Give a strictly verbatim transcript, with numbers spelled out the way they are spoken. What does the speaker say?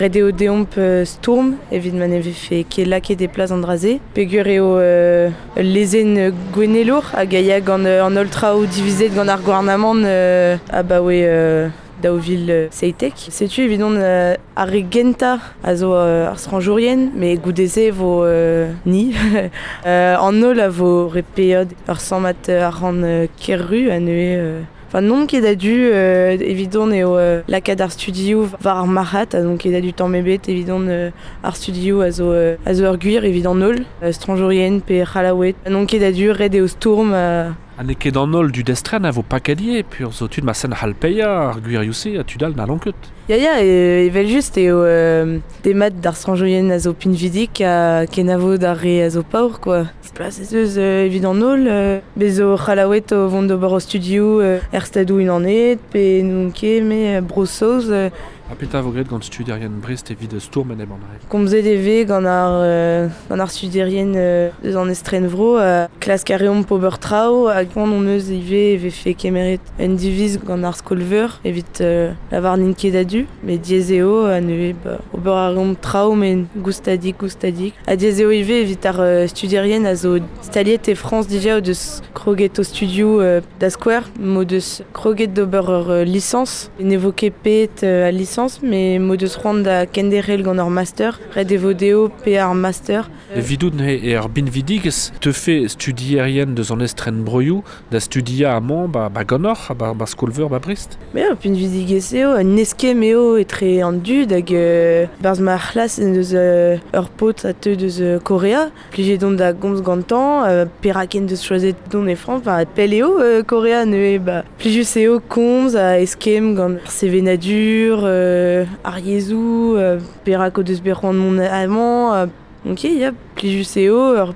Ret eo deomp euh, stourm evit ma ne vefe ket lakaet e plas an dra-se. Peogwir eo euh, ul lezenn gouennelour hag a ya gant euh, an holl traoù divizet gant ar gouarnamant euh, abaoe euh, daou vil seitek. Setu evidon euh, ar re gentañ a zo euh, ar strañjourien, met goude-se vo euh, ni. euh, an holl a vo re paeet ur sammad arc'hant euh, ker-ru ha neuze... Euh, Enfin, n'on ket a-du euh, evidon eo euh, lakaat ar studioù war ar marc'had ha n'on ket a-du tamm ebet evidon euh, ar studioù a zo, euh, a zo ur gwir evit an holl, euh, strañjourien pe C'hallaoued. N'on ket a-du ret eo stourm euh, Ha n'eo ket an holl dud estren a vo paket ivez, peogwir zo tud marteze n'hall paeañ ar gwirioù-se ha tud all n'hallont ket. Ya ya, e, evel just eo euh, demat d'ar strañjourien a zo pinvidik ha kenavo d'ar re a zo paour quoi. Plas ez eus euh, evit an holl, euh, bez zo C'hallaoued o vont d'ober o studioù euh, er Stadoù Unanet pe n'on ket me euh, Bro-Saoz. Euh, Ha petra vo graet gant studierien Brest evit stourm enep an dra-se. Komzet e vez gant ar, euh, gant ar studierien euh, deus an estrenvro, euh, klask a reomp ober traoù hag c'hoant hon eus ivez e vefe kemeret un diviz gant ar skol-veur evit euh, lavar n'int ket a-du, met diaes eo ha neuze ba, ober a reomp traoù met goustadik goustadik. Ha diaes eo ivez evit ar euh, studierien a zo staliet e Frañs dija o deus kroget o studioù euh, da skouer, m'o deus kroget d'ober ur euh, lisañs, ne vo ket paeet euh, al lisañs, met m'o deus c'hoant da kenderc'hel gant ur master, ret e vo dezho paeañ ar master. Evidout neuze eo ur binvidigezh teufe studierien deus an estren broioù da studiañ amañ ba, ba ganeoc'h ha ba, ba skol-veur ba Brest. Mais ur pinvidigezh eo, un eskemm eo etre an dud hag euh, barzh ma c'hlas en deus euh, ur paotr a teu deus euh, Korea, plijet on da gomz gantañ, euh, perak en deus choazet dont e Frañs, enfin pell eo euh, Korea neuze ba plijus eo komz ha eskemm gant ar sevenadur, euh, ar yezhoù, euh, perak o deus bet c'hoant mont amañ, euh, ok, ya, plijus eo, ur